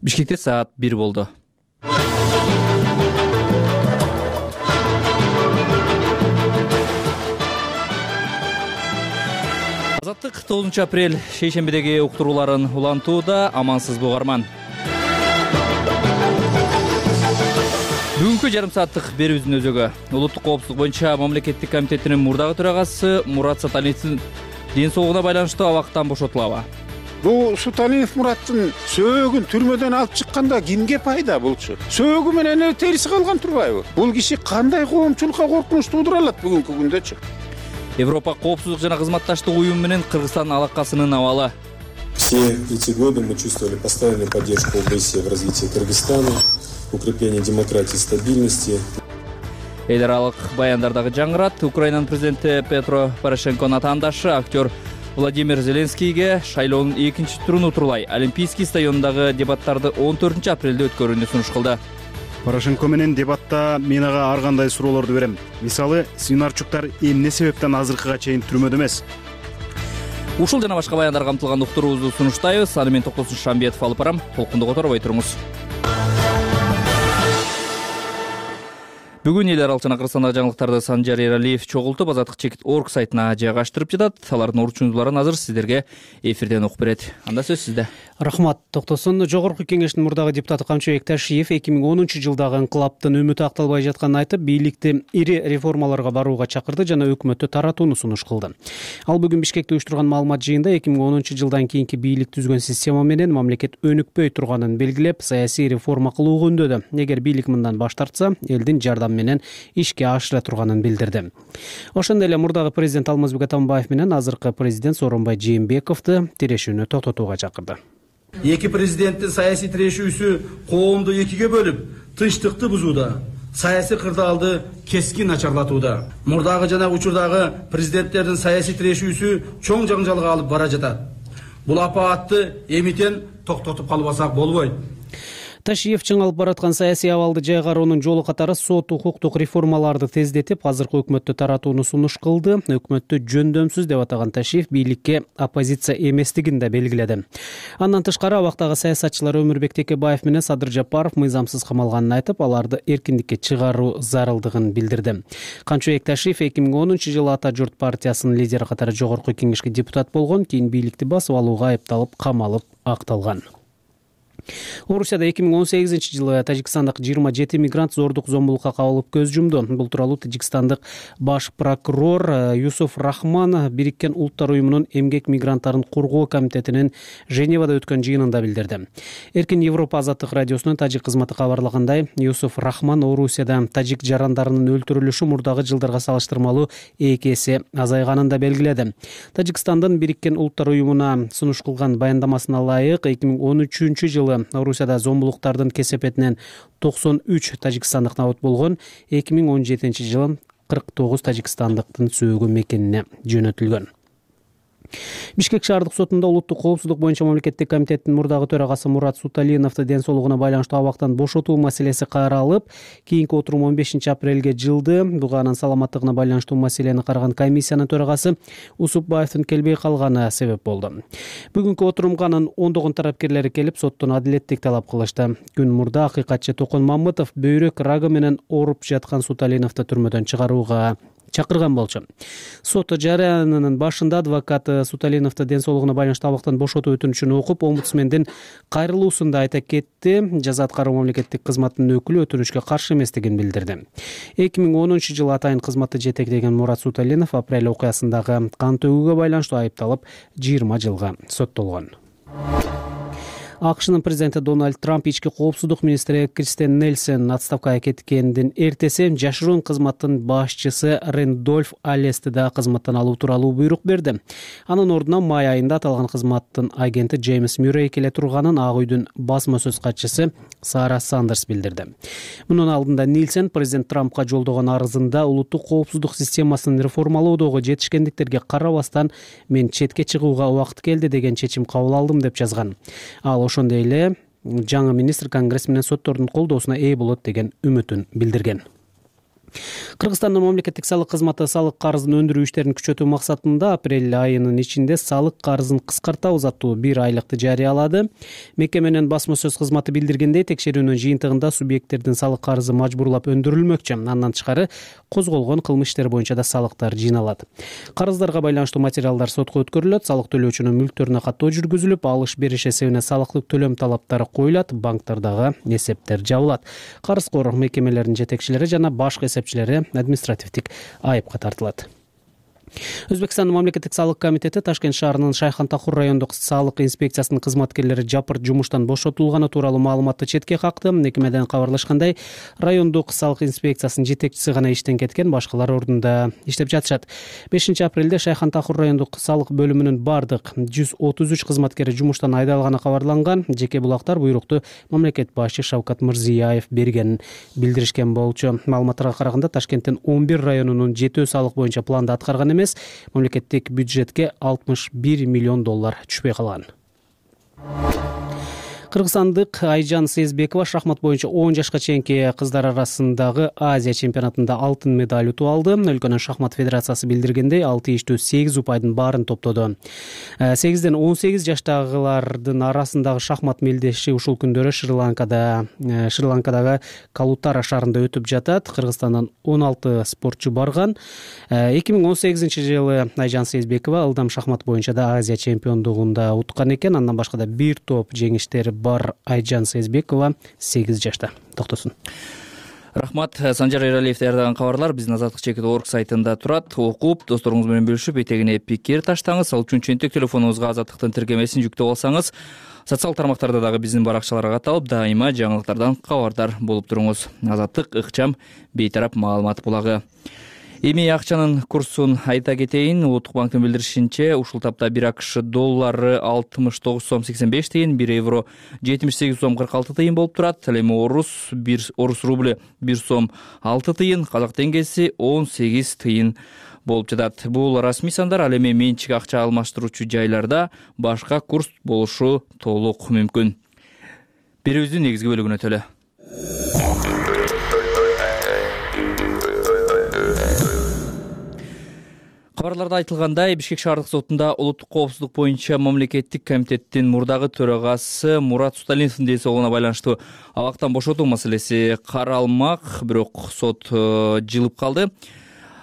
Бишкекте саат 1 болду. Азаттык 9 апрель шейшембидеги уктурууларын улантууда. Амансызбы угарман. Бүгүнкү жарым сааттык берүүбүздүн өзөгү улуттук коопсуздук боюнча мамлекеттик комитетинин мурдагы төрагасы Мурат Саталиевдин ден соолугуна байланыштуу абактан бошотулабы? Бул Суталиев Мураттын сөөгүн түрмөдөн алып чыкканда кимге пайда булчу? Сөөгү менен эле териси калган турбайбы? Бул киши кандай коомчулукка коркунуч туудура алат бүгүнкү күндөчү? Европа коопсуздук жана кызматташтык уюму менен Кыргызстан алакасынын абалы. Все эти годы мы чувствовали постоянную поддержку ОБСЕ в развитии Кыргызстана, укрепление демократии и стабильности. Эл аралык баяндардагы жаңырат. Украинанын президенти Петро Порошенконун атаандашы актер Владимир Зеленскийге шайлоонун 2-чи турун утурлай Олимпийский стадионундагы дебаттарды 14 апрелде өткөрүүнү сунуш кылды. Порошенко менен дебатта мен ага ар кандай суроолорду берем. Мисалы, Свинарчуктар эмне себептен азыркыга чейин түрмөдө эмес? Ушул жана башка баяндар камтылган уктуруубузду сунуштайбыз. Аны мен Токтосун Шамбетов алып барам. Толкунду которбой туруңуз. Бүгүн эл аралык жана Кыргызстандагы жаңылыктарды Санжар Эралиев чогултуп Азаттык.org сайтына жайгаштырып жатат. Алардын орчундуларын азыр сиздерге эфирден окуп берет. Анда сөз сизде. Рахмат, Токтосун. Жогорку кеңештин мурдагы депутаты Камчыбек Ташиев 2010 жылдагы инкылаптын үмүтү акталбай жатканын айтып, бийликти ири реформаларга барууга чакырды жана өкмөттү таратууну сунуш кылды. Ал бүгүн Бишкекте уюштурган маалымат жыйында 2010 жылдан кийинки бийлик түзгөн система менен мамлекет өнүкпөй турганын белгилеп, саясий реформа кылууга үндөдү. Эгер бийлик мындан баш тартса, элдин жардамы менен ишке ашыра турганын билдирди. Ошондой эле мурдагы президент Алмазбек Атамбаев менен азыркы президент Сооронбай Жээнбековду тирешүүнү токтотууга чакырды. Эки президенттин саясий тирешүүсү коомду экиге бөлүп, тынчтыкты бузууда, саясий кырдаалды кескин начарлатууда. Мурдагы жана учурдагы президенттердин саясий тирешүүсү чоң жаңжалга алып бара жатат. Бул апаатты эмитен токтотуп калбасак болбойт. Ташиев чыңалып бараткан саясий абалды жайгаруунун жолу катары сот укуктук реформаларды тездетип, азыркы өкмөттү таратууну сунуш кылды. Өкмөттү жөндөмсүз деп атаган Ташиев бийликке оппозиция эместигин да белгиледи. Андан тышкары абактагы саясатчылар Өмүрбек Текебаев менен Садыр Жапаров мыйзамсыз камалганын айтып, аларды эркиндикке чыгаруу зарылдыгын билдирди. Камчыбек Ташиев 2010 жылы Ата журт партиясынын лидери катары жогорку кеңешке депутат болгон, кийин бийликти басып алууга айыпталып, камалып акталган. Орусияда 2018 жылы Тажикстандык 27 мигрант зордук зомбулукка кабылып көз жумду. Бул тууралуу Тажикстандык баш прокурор Юсуф Рахман Бириккен Улуттар уюмунун эмгек мигранттарын коргоо комитетинин Женевада өткөн жыйынында билдирди. Эркин Европа азаттык радиосунун тажик кызматы кабарлагандай, Юсуф Рахман Орусияда тажик жарандарынын өлтүрүлүшү мурдагы жылдарга салыштырмалуу 2 эсе азайганын да белгиледи. Тажикстандын Бириккен Улуттар уюмуна сунуш кылган баяндамасына ылайык 2013 жылы Орусияда зомбулуктардын кесепетинен 93 тажикстандык набыт болгон, 2017 жылы 49 тажикстандыктын сөөгү мекенине жөнөтүлгөн. Бишкек шаардык сотунда улуттук коопсуздук боюнча мамлекеттик комитеттин мурдагы төрагасы Мурат Суталиновду ден соолугуна байланыштуу абактан бошотуу маселеси каралып, кийинки отурум 15 апрелге жылды. Буга анын саламаттыгына байланыштуу маселени караган комиссиянын төрагасы Усупбаевдин келбей калганы себеп болду. Бүгүнкү отурумга анын ондогон тарапкерлери келип, соттон адилеттик талап кылышты. Күн мурда акыйкатчы Токон Мамытов бөйрөк рагы менен ооруп жаткан Суталиновду түрмөдөн чыгарууга чакырган болчу. Сот жарыянынын башында адвокат Суталиновду ден соолугуна байланыштуу абактан бошотуу өтүнүчүн окуп, омбудсмендин кайрылуусунда айта кетти. Жаза аткаруу мамлекеттик кызматтын өкүлү өтүнүчкө каршы эместигин билдирди. 2010 жылы атайын кызматты жетектеген Мурат Суталинов апрель окуясындагы кан төгүүгө байланыштуу айыпталып 20 жылга соттолгон. АКШнын президенти Дональд Трамп ички коопсуздук министри Кристен Нельсон отставкага кеткендин эртеси жашыруун кызматтын башчысы Рэндольф Аллести да кызматтан алуу тууралуу буйрук берди. Анын ордуна май айында аталган кызматтын агенти Джеймс Мюррей келе турганын Ак үйдүн басма сөз катчысы Сара Сандерс билдирди. Мунун алдында Нельсон президент Трампка жолдогон арызында улуттук коопсуздук системасын реформалоодогу жетишкендиктерге карабастан мен четке чыгууга убакыт келди деген чечим кабыл алдым деп жазган. Ал ошондой эле жаңы министр Конгресс менен соттордун колдоосуна ээ болот деген үмүтүн билдирген. Кыргызстандын мамлекеттик салык кызматы салык карызын өндүрүү иштерин күчөтүү максатында апрель айынын ичинде салык карызын кыскартабыз аттуу 1 айлыкты жарыялады. Мекеменин басма сөз кызматы билдиргендей, текшерүүнүн жыйынтыгында субъекттердин салык карызы мажбурлап өндүрүлмөкчү. Андан тышкары козголгон кылмыш иштери боюнча да салыктар жыйналат. Карыздарга байланыштуу материалдар сотко өткөрүлөт, салык төлөөчүнүн мүлктөрүнө каттоо жүргүзүлүп, алыш бериш эсебине салыктык төлөм талаптары коюлат, банктардагы эсептер жабылат. Карызкор мекемелердин жетекчилери жана башкы эсепчилери административдик айыпка тартылат. Өзбекстандын мамлекеттик салык комитети Ташкент шаарынын Шайхан-Тахур райондук салык инспекциясынын кызматкерлери жапырт жумуштан бошотулганы тууралуу маалыматты четке какты. Мекемеден кабарлашкандай, райондук салык инспекциясынын жетекчиси гана иштен кеткен, башкалар ордунда иштеп жатышат. 5 апрелде Шайхан-Тахур райондук салык бөлүмүнүн бардык 133 кызматкери жумуштан айдалганы кабарланган. Жеке булактар буйрукту мамлекет башчы Шавкат Мирзиёев бергенин билдиришкен болчу. Маалыматтарга караганда, Ташкенттин 11 районунун жетөө салык боюнча планды аткарган эмес, мамлекеттик бюджетке 61 миллион доллар түшпөй калган. Кыргызстандык Айжан Сезбекова шахмат боюнча 10 жашка чейинки кыздар арасындагы Азия чемпионатында алтын медаль утуп алды. Өлкөнүн шахмат федерациясы билдиргендей, 6 иштүү 8 упайдын баарын топтоду. 8ден 18 жаштагылардын арасындагы шахмат мелдеши ушул күндөрү Шри-Ланкадагы Калутара шаарында өтүп жатат. Кыргызстандан 16 спортчу барган. 2018 жылы Айжан Сезбекова ылдам шахмат боюнча да Азия чемпиондугунда уткан экен. Андан башка да бир топ жеңиштери бар Айжан Сезбекова 8 жашта. Токтосун. Рахмат. Санжар Эралиев даярдаган кабарлар биздин Азаттык.org сайтында турат. Окуп, досторуңуз менен бөлүшүп, этегине пикир таштаңыз. Ал үчүн чөнтөк телефонуңузга Азаттыктын тиркемесин жүктөп алсаңыз, социалдык тармактарда дагы биздин баракчаларга каталып, дайыма жаңылыктардан кабардар болуп туруңуз. Азаттык ыкчам бейтарап маалымат булагы. Эми акчанын курсун айта кетейин. Улуттук банктын билдиришинче, ушул тапта 1 АКШ доллары 69 сом 85 тыйын, 1 евро 78 сом 46 тыйын болуп турат. Ал эми орус рубль 1 сом 6 тыйын, казак теңгеси 18 тыйын болуп жатат. Бул расмий сандар. Ал эми менчик акча алмаштыруучу жайларда башка курс болушу толук мүмкүн. Берүүбүздүн негизги бөлүгүнө өтөлү. Кабарларда айтылгандай, Бишкек шаардык сотунда улуттук коопсуздук боюнча мамлекеттик комитеттин мурдагы төрагасы Мурат Суталиновдун ден соолугуна байланыштуу абактан бошотуу маселеси каралмак, бирок сот жылып калды.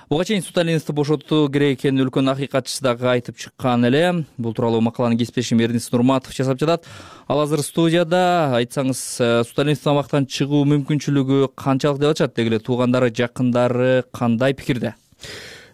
Буга чейин Суталиновду бошотуу керек экенин өлкөнүн акыйкатчысы дагы айтып чыккан эле. Бул тууралуу макаланы кесиптешим Эрнис Нурматов жасап жатат. Ал азыр студияда. Айтсаңыз, Суталиновдун абактан чыгуу мүмкүнчүлүгү канчалык деп атышат? Деги эле туугандары, жакындары кандай пикирде?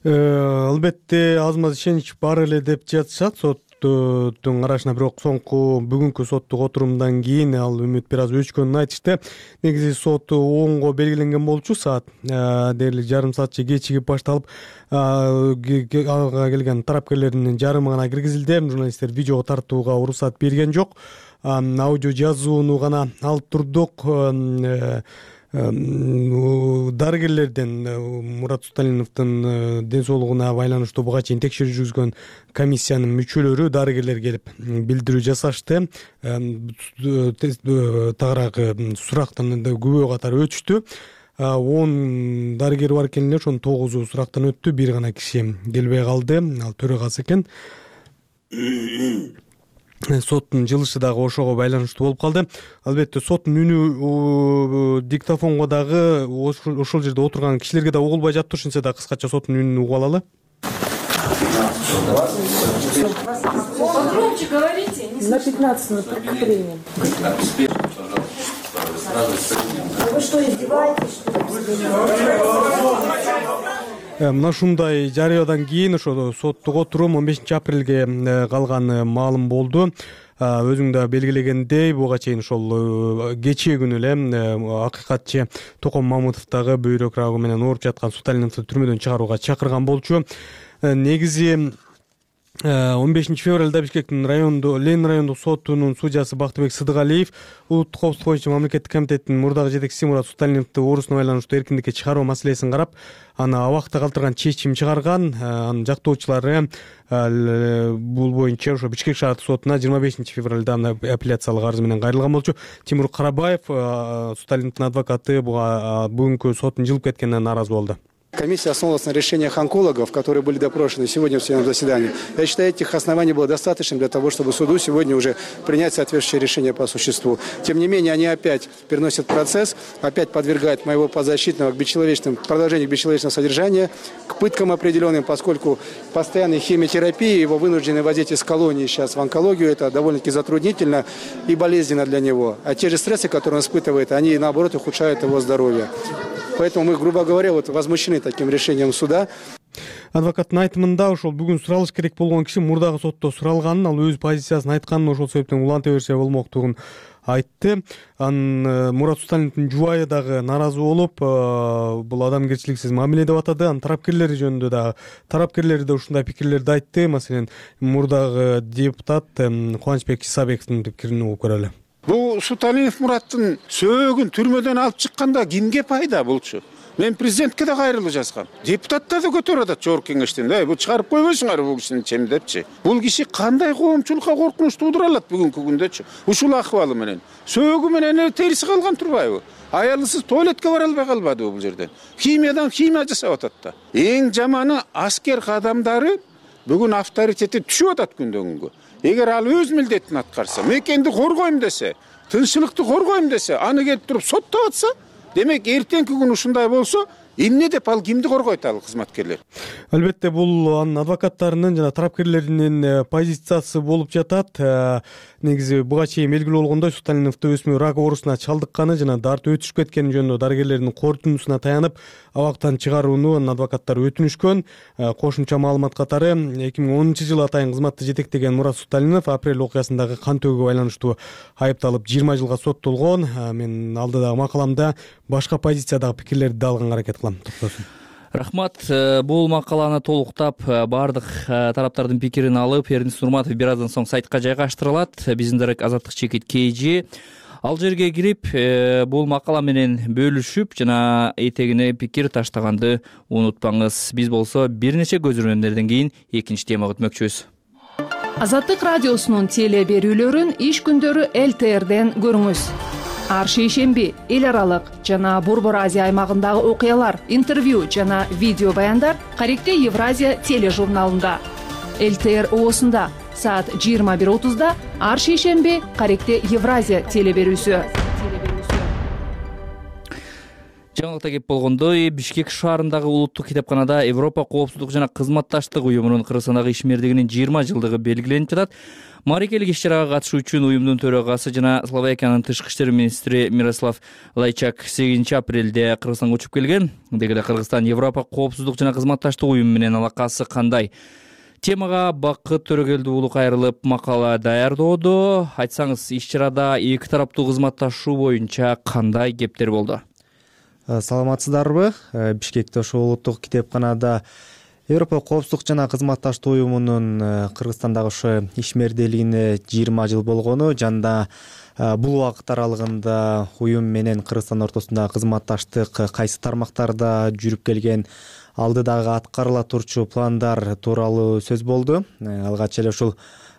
Албетте аз-маз ишенич бар эле деп жатышат соттун карашына, бирок соңку бүгүнкү соттук отурумдан кийин ал үмүт бир аз өчкөнүн айтышты. Негизи сот 10го белгиленген болчу, саат дээрлик жарым саатча кечигип башталып, ага келген тарапкерлердин жарымы гана киргизилди. Журналисттер видеого тартууга уруксат берген жок. Аудио жазууну гана алып турдук. Дарыгерлерден Мурат Суталиновдун ден соолугуна байланыштуу буга чейин текшерүү жүргүзгөн комиссиянын мүчөлөрү, дарыгерлер келип билдирүү жасашты. Тагыраагы сурактан күбө катары өтүштү. 10 дарыгер бар экен эле, ошонун 9 сурактан өттү, бир гана киши келбей калды. Ал төрагасы экен. Соттун жылышы дагы ошого байланыштуу болуп калды. Албетте соттун үнү диктофонго дагы ошол жерде отурган кишилерге да угулбай жатты. Ошентсе да кыскача соттун үнүн угуп алалы. На 15 минут повторением. Вы что, издеваетесь, что ли? Мына ушундай жарыядан кийин ошо соттук отурум 15 апрелге калганы маалым болду. Өзүң да белгилегендей, буга чейин ошол кечээ күнү эле акыйкатчы Током Мамытов дагы бөйрөк рагы менен ооруп жаткан Суталиновду түрмөдөн чыгарууга чакырган болчу. Негизи 15 февралда Бишкектин Ленин райондук сотунун судьясы Бактыбек Сыдыгалиев улуттук коопсуздук боюнча мамлекеттик комитеттин мурдагы жетекчиси Мурат Суталиновду оорусуна байланыштуу эркиндикке чыгаруу маселесин карап, аны абакта калтырган чечим чыгарган. Анын жактоочулары бул боюнча ошо Бишкек шаардык сотуна 25 февралда апелляциялык арыз менен кайрылган болчу. Тимур Карабаев, Суталиновдун адвокаты, бүгүнкү соттун жылып кеткенине нааразы болду. Комиссия основывалась на решениях онкологов, которые были допрошены сегодня в судебном заседании. Я считаю, этих оснований было достаточно для того, чтобы суду сегодня уже принять соответствующее решение по существу. Тем не менее, они опять переносят процесс, опять подвергают моего подзащитного продолжению бесчеловечного содержания, к пыткам определенным, поскольку постоянной химиотерапии, его вынуждены возить из колонии сейчас в онкологию, это довольно-таки затруднительно и болезненно для него. А те же стрессы, которые он испытывает, они наоборот ухудшают его здоровье. Поэтому мы, грубо говоря, возмущены таким решением суда. Адвокаттын айтымында ошол бүгүн суралыш керек болгон киши мурдагы сотто суралганын, ал өз позициясын айтканын, ошол себептен уланта берсе болмоктугун айтты. Анын Мурат Суталиновдун жубайы дагы нааразы болуп, бул адамгерчиликсиз мамиле деп атады. Анын тарапкерлери жөнүндө дагы тарапкерлери да ушундай пикирлерди айтты. Маселен, мурдагы депутат Кубанычбек Исабековдун пикирин угуп көрөлү. Бул Суталиев Мураттын сөөгүн түрмөдөн алып чыкканда кимге пайда болчу? Мен президентке да кайрылуу жазгам. Депутаттар да көтөрүп атат жогорку кеңештен. Бул чыгарып койбойсуңар бул кишини чем депчи. Бул киши кандай коомчулукка коркунуч туудура алат бүгүнкү күндөчү? Ушул акыбалы менен. Сөөгү менен териси калган турбайбы? Аялысыз туалетке бара албай калбадыбы бул жерден? Химиядан химия жасап атат да. Эң жаманы аскер кадамдары бүгүн авторитети түшүп атат күндөн күнгө. Эгер ал өз милдетин аткарса, мекенди коргойм десе, тынччылыкты коргойм десе, аны келип туруп соттоп атса, демек эртеңки күн ушундай болсо, эмне деп ал кимди коргойт ал кызматкерлер? Албетте бул анын адвокаттарынын жана тарапкерлеринин позициясы болуп жатат. Негизи буга чейин белгилүү болгондой, Суталиновду өсмөр рак оорусуна чалдыкканы жана дарты өтүшүп кеткени жөнүндө дарыгерлердин корутундусуна таянып, абактан чыгарууну анын адвокаттары өтүнүшкөн. Кошумча маалымат катары 2010-жылы атайын кызматты жетектеген Мурат Суталинов апрель окуясындагы кан төгүүгө байланыштуу айыпталып 20 жылга соттолгон. Мен алдыдагы макаламда башка позициядагы пикирлерди алганга аракет кылам. Токтосун. Рахмат. Бул макаланы толуктап баардык тараптардын пикирин алып, Эрдинис Нурматов бир аздан соң сайтка жайгаштырылат. Биздин дарек Азаттык чекит KG. Ал жерге кирип, бул макала менен бөлүшүп жана этегине пикир таштаганды унутпаңыз. Биз болсо бир нече көзүрмөмдөрдөн кийин экинчи темага өтмөкчүбүз. Азаттык радиосунун теле берүүлөрүн иш күндөрү ЛТРден көрүңүз. Ар шейшемби эл аралык жана Борбор Азия аймагындагы окуялар, интервью жана видео баяндар Каректе Евразия тележурналында. ЛТР оосунда саат 21:30 ар шейшемби Каректе Евразия теле берүүсү. Жаңылыкта кеп болгондой, Бишкек шаарындагы улуттук китепканада Европа коопсуздук жана кызматташтык уюмунун Кыргызстандагы ишмердигинин 20 жылдыгы белгиленип жатат. Мааракелик иш-чарага катышуу үчүн уюмдун төрагасы жана Словакиянын тышкы иштер министри Мирослав Лайчак 8 апрелде Кыргызстанга учуп келген. Деги эле Кыргызстан Европа коопсуздук жана кызматташтык уюму менен алакасы кандай? Темага Бакыт Төрөгелди уулу кайрылып макала даярдоодо. Айтсаңыз, иш-чарада эки тараптуу кызматташуу боюнча кандай кептер болду? Саламатсыздарбы? Бишкекте ошо улуттук китепканада Европа коопсуздук жана кызматташтык уюмунун Кыргызстандагы ошо ишмердүүлүгүнө 20 жыл болгону жана бул убакыт аралыгында уюм менен Кыргызстан ортосунда кызматташтык кайсы тармактарда жүрүп келген, алдыдагы аткарыла турчу пландар тууралуу сөз болду. Алгач эле ушул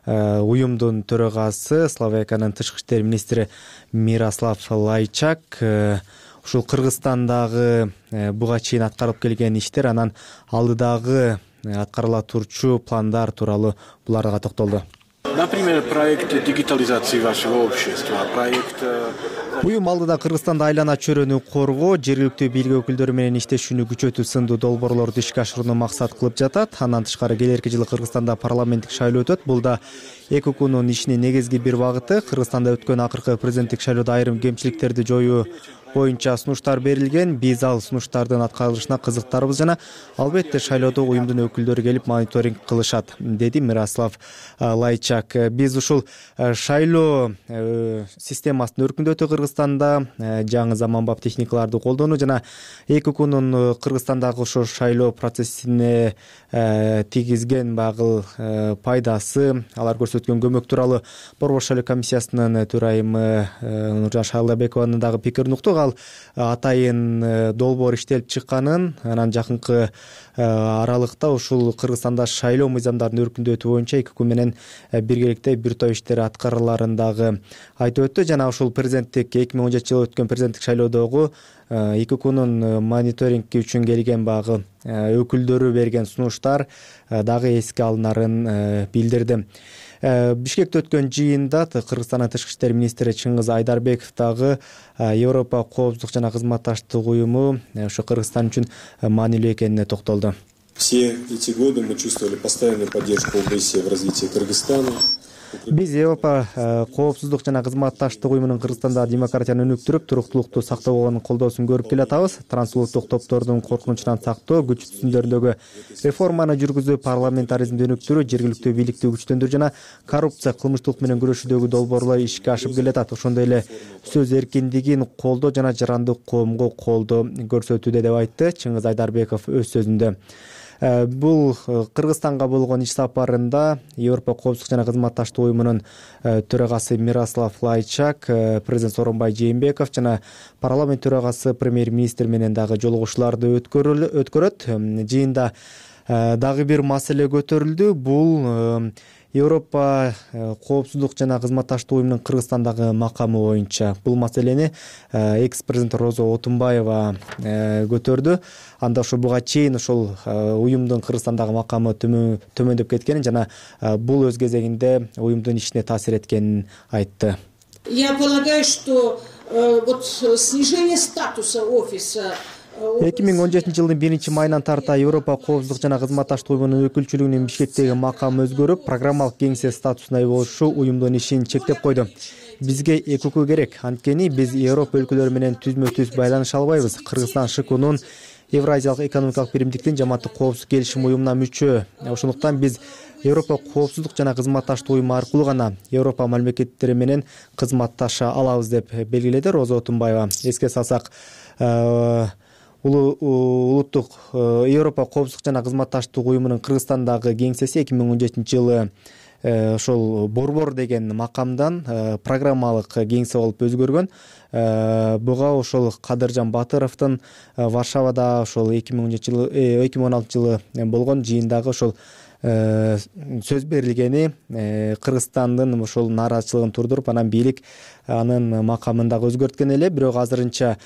уюмдун төрагасы Словакиянын тышкы иштер министри Мирослав Лайчак ушул Кыргызстандагы буга чейин аткарылып келген иштер, анан алдыдагы аткарыла турчу пландар тууралуу буларга токтолду. Например, проект дигитализации вашего общества, проект... Уюм алдыда Кыргызстанда айлана чөйрөнү коргоо, жергиликтүү бийлик өкүлдөрү менен иштешүүнү күчөтүү сындуу долбоорлорду ишке ашырууну максат кылып жатат. Андан тышкары келерки жылы Кыргызстанда парламенттик шайлоо өтөт. Бул да ЭККнун ишинин негизги бир багыты. Кыргызстанда өткөн акыркы президенттик шайлоодо айрым кемчиликтерди жоюу боюнча сунуштар берилген. Биз ал сунуштардын аткарылышына кызыктарбыз жана албетте шайлоодо уюмдун өкүлдөрү келип мониторинг кылышат, деди Мирослав Лайчак. Биз ушул шайлоо системасын өркүндөтүү Кыргызстанда жаңы заманбап техникаларды колдонуу жана эки УКнун Кыргызстандагы ошо шайлоо процессине тийгизген багыл пайдасы, алар көрсөткөн көмөк тууралуу Борбор шайлоо комиссиясынын төрайымы Нуржан Шайлабекованын дагы пикирин уктук. Ал атайын долбоор иштелип чыкканын, анан жакынкы аралыкта ушул Кыргызстанда шайлоо мыйзамдарын өркүндөтүү боюнча эки УК менен биргеликте бир топ иштер аткарыларын дагы айтып өттү. Жана ушул президенттик 2017-жылы өткөн президенттик шайлоодогу эки УКнун мониторинги үчүн келген багы өкүлдөрү берген сунуштар дагы эске алынарын билдирди. Бишкекте өткөн жыйында Кыргызстандын тышкы иштер министри Чыңгыз Айдарбеков дагы Европа коопсуздук жана кызматташтык уюму ошо Кыргызстан үчүн маанилүү экенине токтолду. Все эти годы мы чувствовали постоянную поддержку ОБСЕ в развитии Кыргызстана. Биз Европа коопсуздук жана кызматташтык уюмунун Кыргызстанда демократияны өнүктүрүп, туруктуулукту сактоого колдоосун көрүп келатабыз. Трансулуттук топтордун коркунучунан сактоо, күч түзүмдөрүндөгү реформаны жүргүзүү, парламентаризмди өнүктүрүү, жергиликтүү бийликти күчтөндүрүү жана коррупция, кылмыштуулук менен күрөшүүдөгү долбоорлор ишке ашып келатат. Ошондой эле сөз эркиндигин колдоо жана жарандык коомго колдоо көрсөтүүдө деп айтты Чыңгыз Айдарбеков өз сөзүндө. Бул Кыргызстанга болгон иш сапарында Европа коопсуздук жана кызматташтык уюмунун төрагасы Мирослав Лайчак, президент Сооронбай Жээнбеков жана парламент төрагасы премьер-министр менен дагы жолугушууларды өткөрөт. Жыйында дагы бир маселе көтөрүлдү. Бул Европа коопсуздук жана кызматташтык уюмунун Кыргызстандагы макамы боюнча. Бул маселени экс-президент Роза Отунбаева көтөрдү. Анда ошо буга чейин ошол уюмдун Кыргызстандагы макамы төмөндөп кеткенин жана бул өз кезегинде уюмдун ишине таасир эткенин айтты. Я полагаю, что вот снижение статуса офиса 2017-жылдын 1-майынан тарта Европа коопсуздук жана кызматташтык уюмунун өкүлчүлүгүнүн Бишкектеги макамы өзгөрүп, программалык кеңсе статусуна ээ болушу уюмдун ишин чектеп койду. Бизге эки УК керек, анткени биз Европа өлкөлөрү менен түзмө-түз байланыша албайбыз. Кыргызстан ШКнун Евразиялык экономикалык биримдиктин жамааттык коопсуздук келишим уюмуна мүчө. Ошондуктан биз Европа коопсуздук жана кызматташтык уюму аркылуу гана Европа мамлекеттери менен кызматташа алабыз деп белгиледи Роза Отунбаева. Эске салсак, улуттук Европа коопсуздук жана кызматташтык уюмунун Кыргызстандагы кеңсеси 2017-жылы ошол борбор деген макамдан программалык кеңсе болуп өзгөргөн. Буга ошол Кадыржан Батыровдун Варшавада ошол 2016-жылы болгон жыйындагы ошол сөз берилгени Кыргызстандын ошол нааразычылыгын турдуруп, анан бийлик анын макамын дагы өзгөрткөн эле. Бирок азырынча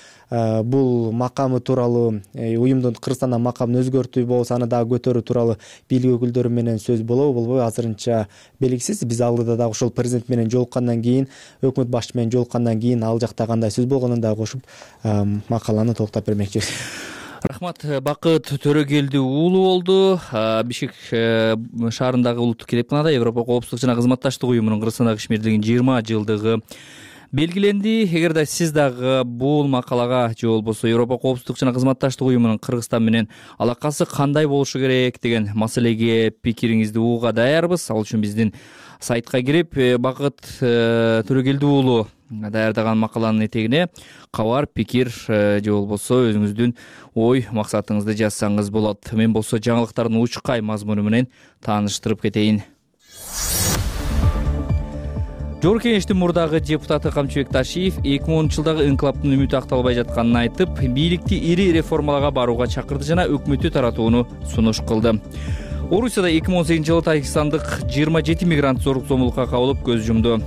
бул макамы тууралуу уюмдун Кыргызстандан макамын өзгөртүү болсо аны дагы көтөрүү тууралуу бийлик өкүлдөрү менен сөз болобу болбойбу азырынча белгисиз. Биз алдыда дагы ошол президент менен жолуккандан кийин, өкмөт башчысы менен жолуккандан кийин ал жакта кандай сөз болгонун дагы кошуп макаланы толуктап бермекчибиз. Рахмат. Бакыт Төрөгелди уулу болду. Бишкек шаарындагы улуттук китепканада Европа коопсуздук жана кызматташтык уюмунун Кыргызстандагы ишмердигинин 20 жылдыгы белгиленди. Эгерде сиз дагы бул макалага же болбосо Европа коопсуздук жана кызматташтык уюмунун Кыргызстан менен алакасы кандай болушу керек деген маселеге пикириңизди угууга даярбыз. Ал үчүн биздин сайтка кирип, Бакыт Төрөгелди уулу даярдаган макаланын этегине кабар, пикир же болбосо өзүңүздүн ой максатыңызды жазсаңыз болот. Мен болсо жаңылыктардын учкай мазмуну менен тааныштырып кетейин. Жогорку Кеңештин мурдагы депутаты Камчыбек Ташиев 2010-жылдагы инкылаптын үмүтү акталбай жатканын айтып, бийликти ири реформаларга барууга чакырды жана өкмөттү таратууну сунуш кылды. Орусияда 2018-жылы Тажикстандык 27 мигрант зорлук зомбулукка кабылып көз жумду.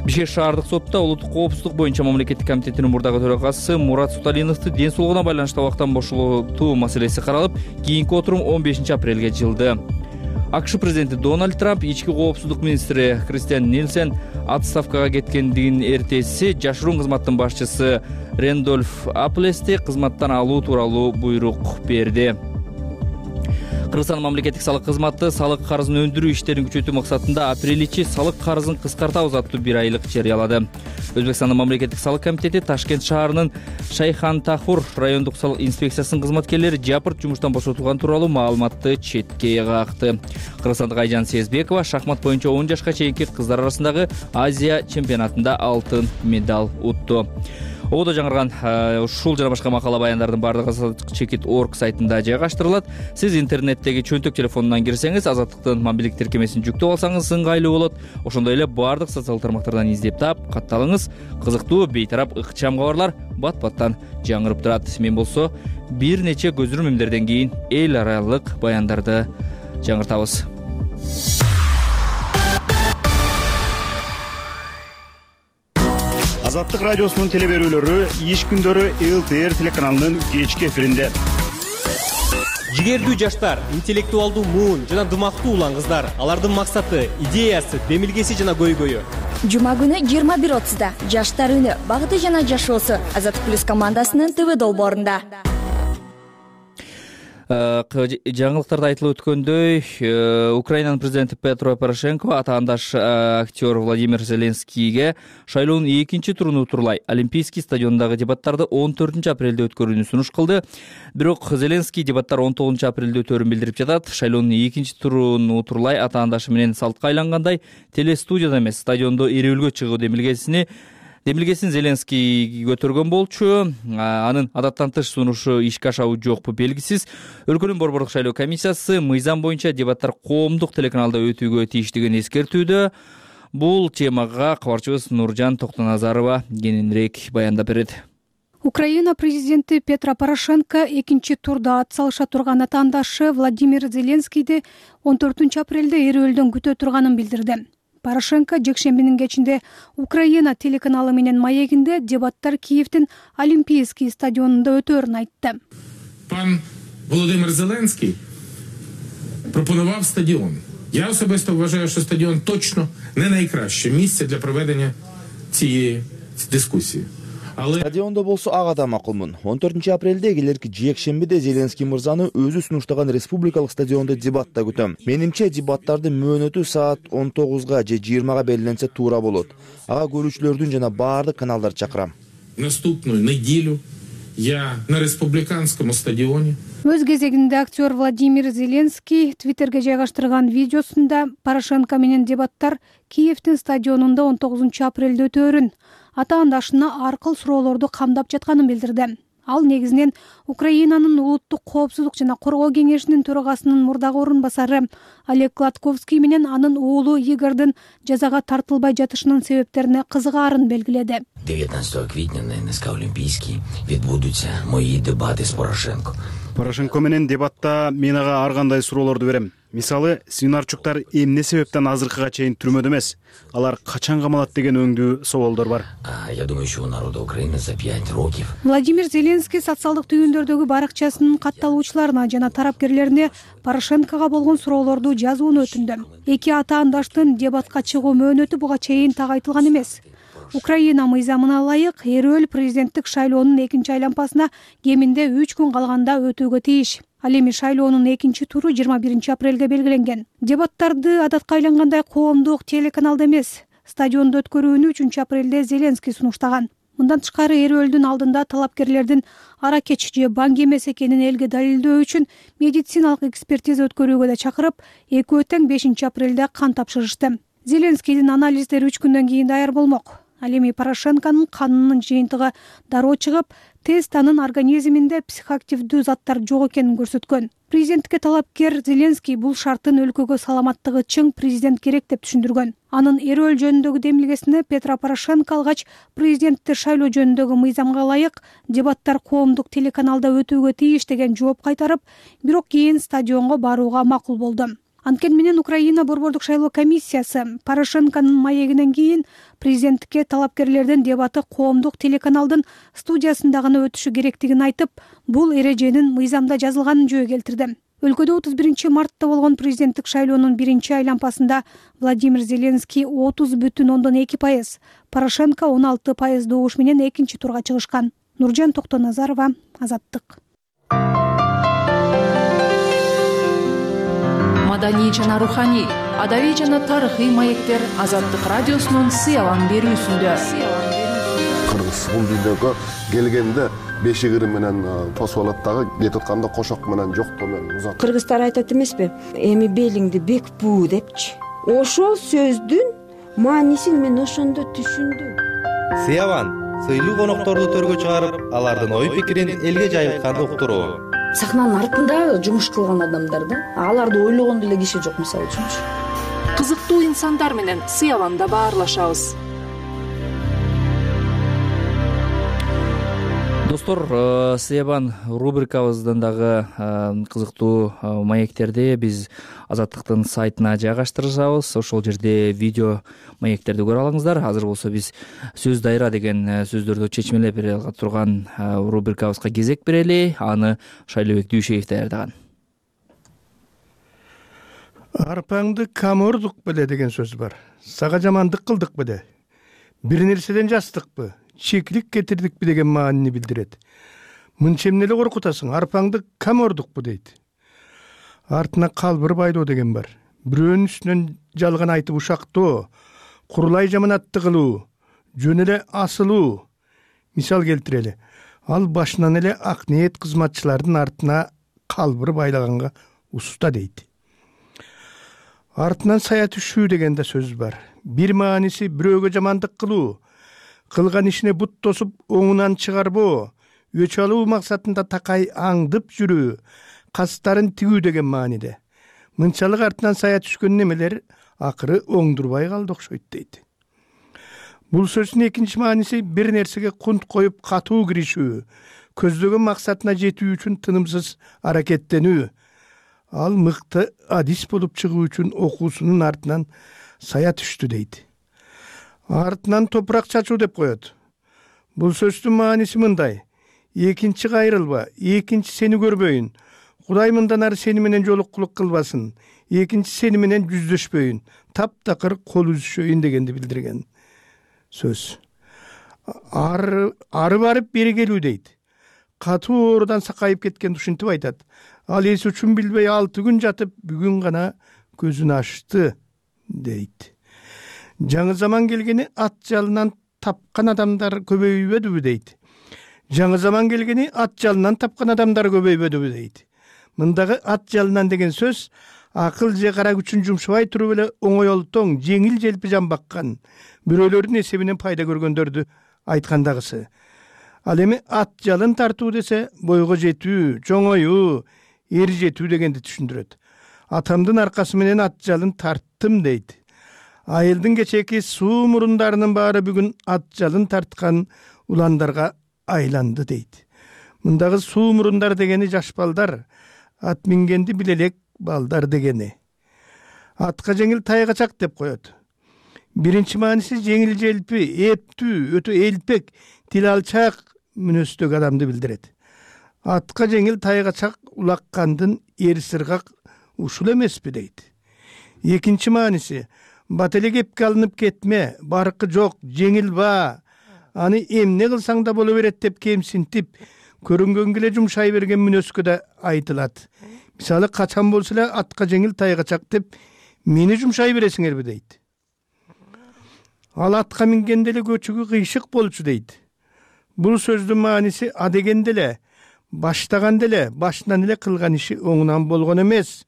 Бишкек шаардык сотто улуттук коопсуздук боюнча мамлекеттик комитетинин мурдагы төрагасы Мурат Суталиновду ден соолугуна байланыштуу абактан бошотуу маселеси каралып, кийинки отурум 15 апрелге жылды. АКШ президенти Дональд Трамп ички коопсуздук министри Кристиан Нильсен отставкага кеткендигин эртеси жашыруун кызматтын башчысы Рэндольф Аплести кызматтан алуу тууралуу буйрук берди. Кыргызстан мамлекеттик салык кызматы салык карызын өндүрүү иштерин күчөтүү максатында апрель ичи салык карызын кыскартабыз аттуу бир айлык жарыялады. Өзбекстандын мамлекеттик салык комитети Ташкент шаарынын Шайхан-Тахур райондук салык инспекциясынын кызматкерлери жапырт жумуштан бошотулган тууралуу маалыматты четке какты. Кыргызстандык Айжан Сезбекова шахмат боюнча 10 жашка чейинки кыздар арасындагы Азия чемпионатында алтын медаль утту. Ободо жаңырган ушул жана башка макала баяндардын баардыгы Azatlyk.org сайтында жайгаштырылат. Сиз интернеттеги чөнтөк телефонунан кирсеңиз, Азаттыктын мобилдик тиркемесин жүктөп алсаңыз ыңгайлуу болот. Ошондой эле баардык социалдык тармактардан издеп таап, катталыңыз. Кызыктуу, бейтарап, ыкчам кабарлар бат-баттан жаңырып турат. Мен болсо бир нече көзүрмөмдөрдөн кийин эл аралык баяндарды жаңыртабыз. Азаттык радиосунун телеберүүлөрү иш күндөрү ЛТР телеканалынын кечки эфиринде. Жигердүү жаштар, интеллектуалдуу муун жана дымактуу улан кыздар. Алардын максаты, идеясы, демилгеси жана көйгөйү. Жума күнү 21:30 Жаштар үнү, багыты жана жашоосу Азаттык плюс командасынын ТВ долбоорунда. Жаңылыктарда айтылып өткөндөй, Украинанын президенти Петро Порошенко атаандаш актер Владимир Зеленскийге шайлоонун экинчи туруну утурлай Олимпийский стадионундагы дебаттарды 14 апрелде өткөрүүнү сунуш кылды. Бирок Зеленский дебаттар 19 апрелде өтөрүн билдирип жатат. Шайлоонун экинчи туруну утурлай атаандашы менен салтка айлангандай телестудияда эмес, стадиондо эриөлгө чыгуу демилгесин Зеленский көтөргөн болчу. Анын адаттан тыш сунушу ишке ашабы жокпу белгисиз. Өлкөнүн борбордук шайлоо комиссиясы мыйзам боюнча дебаттар коомдук телеканалда өтүүгө тийиштигин эскертүүдө. Бул темага кабарчыбыз Нуржан Токтоназарова кененирээк баяндап берет. Украина президенти Петро Порошенко экинчи турда ат салыша турган атаандашы Владимир Зеленскийди 14 апрелде эриөлдөн күтө турганын билдирди. Порошенко жекшембинин кечинде Украина телеканалы менен маегинде дебаттар Киевдин Олимпийский стадионунда өтөөрүн айтты. Пан Володимир Зеленский пропонував стадіон. Я особисто вважаю, що стадіон точно не найкраще місце для проведення цієї дискусії. Стадиондо болсо ага да макулмун. 14 апрелде келерки жекшембиде Зеленский мырзаны өзү сунуштаган республикалык стадиондо дебатта күтөм. Менимче дебаттардын мөөнөтү саат 19 же 20 белгиленсе туура болот. Ага көрүүчүлөрдүн жана баардык каналдар чакырам. Наступную неделю я на республиканском стадионе. Өз кезегинде актер Владимир Зеленский Твиттерге жайгаштырган видеосунда Порошенко менен дебаттар Киевдин стадионунда 19 апрелде өтөөрүн, атаандашына аркыл суроолорду камдап жатканын билдирди. Ал негизинен Украинанын улуттук коопсуздук жана коргоо кеңешинин төрагасынын мурдагы орун басары Олег Гладковский менен анын уулу Игордун жазага тартылбай жатышынын себептерине кызыгаарын белгиледи. 19 квітня на НСК Олімпійській відбудуться мої дебати з Порошенко. Порошенко менен дебатта мен ага ар кандай суроолорду берем. Мисалы, Свинарчуктар эмне себептен азыркыга чейин түрмөдө эмес? Алар качан камалат деген өңдүү суолдор бар. Я думаю, що у народу України за 5 років. Владимир Зеленский социалдык түйүндөрдөгү баракчасынын катталуучуларына жана тарапкерлерине Порошенкого болгон суроолорду жазууну өтүндү. Эки атаандаштын дебатка чыгуу мөөнөтү буга чейин тагайтылган эмес. Украина мыйзамына ылайык эриөл президенттик шайлоонун экинчи айланпасына кеминде 3 күн калганда өтүүгө тийиш. Ал эми шайлоонун экинчи туру 21 апрелге белгиленген. Дебаттарды адатка айлангандай коомдук телеканалда эмес, стадиондо өткөрүүнү 3 апрелде Зеленский сунуштаган. Мындан тышкары эриөлдүн алдында талапкерлердин аракеч же банк эмес экенин элге далилдөө үчүн медициналык экспертиза өткөрүүгө да чакырып, экөө тең 5 апрелде кан тапшырышты. Зеленскийдин анализдери 3 күндөн кийин даяр болмок. Ал эми Порошенконун канынын жыйынтыгы дароо чыгып, тест анын организминде психоактивдүү заттар жок экенин көрсөткөн. Президентке талапкер Зеленский бул шарттын өлкөгө саламаттыгы чың президент керек деп түшүндүргөн. Анын эриөл жөнүндөгү демилгесине Петро Порошенко алгач президентти шайлоо жөнүндөгү мыйзамга ылайык дебаттар коомдук телеканалда өтүүгө тийиш деген жооп кайтарып, бирок кийин стадионго барууга макул болду. Анткени менен Украина борбордук шайлоо комиссиясы Порошенконун маегинен кийин президенттикке талапкерлердин дебаты коомдук телеканалдын студиясында гана өтүшү керектигин айтып, бул эреженин мыйзамда жазылганын жөө келтирди. Өлкөдө 31 мартта болгон президенттик шайлоонун биринчи айланпасында Владимир Зеленский 30,2%, Порошенко 16% добуш менен экинчи турга чыгышкан. Нуржан Токтоназарова, Азаттык. маданий жана руханий, адабий жана тарыхый маектер Азаттык радиосунун сыялан берүүсүндө. Кыргыз бул дүйнөгө келгенде бешигири менен тосуп алат дагы, кетип атканда кошок менен жоктоо менен узат. Кыргыздар айтат эмеспи? Эми белиңди бек буу депчи. Ошол сөздүн маанисин мен ошондо түшүндүм. Сыялан сыйлуу конокторду төргө чыгарып, алардын ой пикирин элге жайылтканды уктуруу. Сахнанын артында жумуш кылган адамдар да, аларды ойлогон деле киши жок, мисалы үчүнчү. Кызыктуу инсандар менен сыяланда баарлашабыз. Достор, Сыябан рубрикабыздан дагы кызыктуу маектерди биз Азаттыктын сайтына жайгаштырабыз. Ошол жерде видео маектерди көрө алыңыздар. Азыр болсо биз сөз дайра деген сөздөрдү чечмелеп бере турган рубрикабызга кезек берели. Аны Шайлообек Дүйшеев даярдаган. Арпаңды камордук беле деген сөз бар. Сага жамандык кылдык беле? Бир нерседен жастыкпы? Чекилик кетирдикпи деген маанини билдирет. Мынча эмне эле коркутасың? Арпаңды камордукпу дейт. Артына калбыр байлоо деген бар. Бирөөнүн үстүнөн жалган айтып ушактоо, курулай жаманатты кылуу, жөн эле асылуу. Мисал келтирели. Ал башынан эле ак ниет кызматчылардын артына калбыр байлаганга уста дейт. Артынан сая түшүү деген да сөз бар. Бир мааниси бирөөгө жамандык кылуу, кылган ишине бут тосуп оңунан чыгарбоо, өч алуу максатында такай аңдып жүрүү, кастарын тигүү деген мааниде. Мынчалык артынан сая түшкөн немелер акыры оңдурбай калды окшойт дейт. Бул сөздүн экинчи мааниси бир нерсеге кунт коюп катуу киришүү, көздөгөн максатына жетүү үчүн тынымсыз аракеттенүү. Ал мыкты адис болуп чыгуу үчүн окуусунун артынан сая түштү дейт. Артынан топурак чачуу деп коет. Бул сөздүн мааниси мындай: экинчи кайрылба, экинчи сени көрбөйүн, Кудай мындан ары сени менен жолуккулук кылбасын, экинчи сени менен жүздөшпөйүн, таптакыр кол үзүшөйүн дегенди билдирген сөз. Ары барып бери келүү дейт. Катуу оорудан сакайып кеткен ушинтип айтат. Ал эси үчүн билбей 6 күн жатып, бүгүн гана көзүн ачты дейт. Жаңы заман келгени ат жалынан тапкан адамдар көбөйбөдүбү дейт. Жаңы заман келгени ат жалынан тапкан адамдар көбөйбөдүбү дейт. Мындагы ат жалынан деген сөз акыл же кара күчүн жумшабай туруп эле оңойлтоң, жеңил желпи жан баккан, бирөөлөрдүн эсебинен пайда көргөндөрдү айткандагысы. Ал эми ат жалын тартуу десе бойго жетүү, чоңоюу, эр жетүү дегенди түшүндүрөт. Атамдын аркасы менен ат жалын тарттым дейт. Айылдын кечеки суу мурундарынын баары бүгүн ат жалын тарткан уландарга айланды дейт. Мындагы суу мурундар дегени жаш балдар, ат мингенди билелек балдар дегени. Атка жеңил тайгачак деп коет. Биринчи мааниси жеңил желпи, эптүү, өтө элпек, тил алчак мүнөздөгү адамды билдирет. Атка жеңил тайгачак улаккандын эр сыргак ушул эмеспи дейт. Экинчи мааниси бат эле кепке алынып кетме, баркы жок, жеңил ба, аны эмне кылсаң да боло берет деп кемсинтип, көрүнгөнгө эле жумшай берген мүнөзгө да айтылат. Мисалы, качан болсо эле атка жеңил тайгачак деп мени жумшай бересиңерби дейт. Ал атка мингенде эле көчүгү кыйшык болчу дейт. Бул сөздүн мааниси а дегенде эле, баштаганда эле, башынан эле кылган иши оңунан болгон эмес,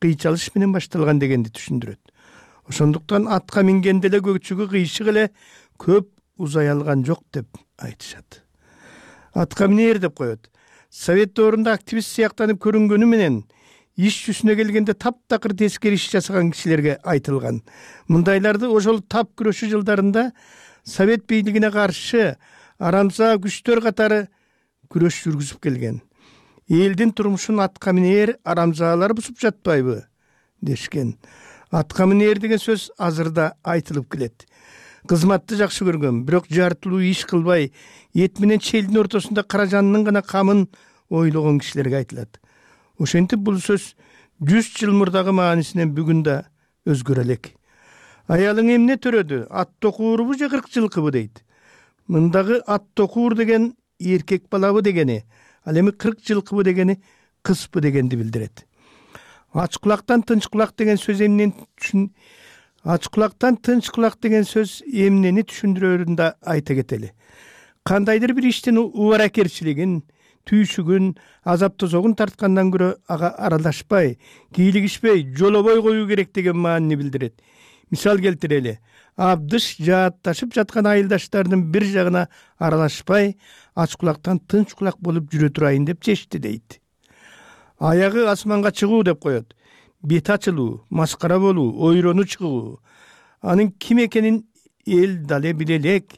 кыйчалыш менен башталган дегенди түшүндүрөт. Ошондуктан атка мингенде эле көчүгү кыйшык эле көп узай алган жок деп айтышат. Атка минер деп коет. Совет доорунда активист сыяктанып көрүнгөнү менен иш жүзүнө келгенде таптакыр тескери иш жасаган кишилерге айтылган. Мындайларды ошол тап күрөшүү жылдарында Совет бийлигине каршы арамза күчтөр катары күрөш жүргүзүп келген. Элдин турмушун атка минер арамзаалар бузуп жатпайбы дешкен. Атка минер деген сөз азырда айтылып келет. Кызматты жакшы көргөн, бирок жартылуу иш кылбай, эт менен челдин ортосунда каражанынын гана камын ойлогон кишилерге айтылат. Ошентип бул сөз 100 жыл мурдагы маанисинен бүгүн да өзгөрө элек. Аялың эмне төрөдү? Ат токуурбу же 40 жылкыбы дейт. Мындагы ат токуур деген эркек балабы дегени, ал эми 40 жылкыбы дегени кызбы дегенди билдирет. Ач кулактан тынч кулак деген сөз ач кулактан тынч кулак деген сөз эмнени түшүндүрөрүн да айта кетели. Кандайдыр бир иштин убаракерчилигин, түйшүгүн, азап тозогун тарткандан көрө ага аралашпай, кийлигишпей, жолобой коюу керек деген маанини билдирет. Мисал келтирели. Абдыш жаатташып жаткан айылдаштардын бир жагына аралашпай, ач кулактан тынч кулак болуп жүрө турайын деп чечти дейт. Аягы асманга чыгуу деп коет. Бет ачылуу, маскара болуу, ойрону чыгуу. Анын ким экенин эл дале биле элек,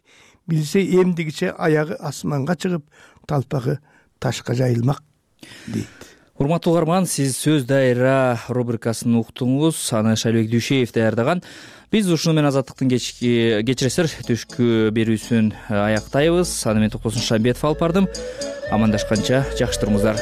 билсе эмдигиче аягы асманга чыгып, талпагы ташка жайылмак дейт. Урматтуу угарман, сиз сөз дайра рубрикасын уктуңуз. Аны Шайлбек Дүйшеев даярдаган. Биз ушуну менен Азаттыктын кечиресиздер түшкү берүүсүн аяктайбыз. Аны мен Токтосун Шамбетов алып бардым. Амандашканча жакшы туруңуздар.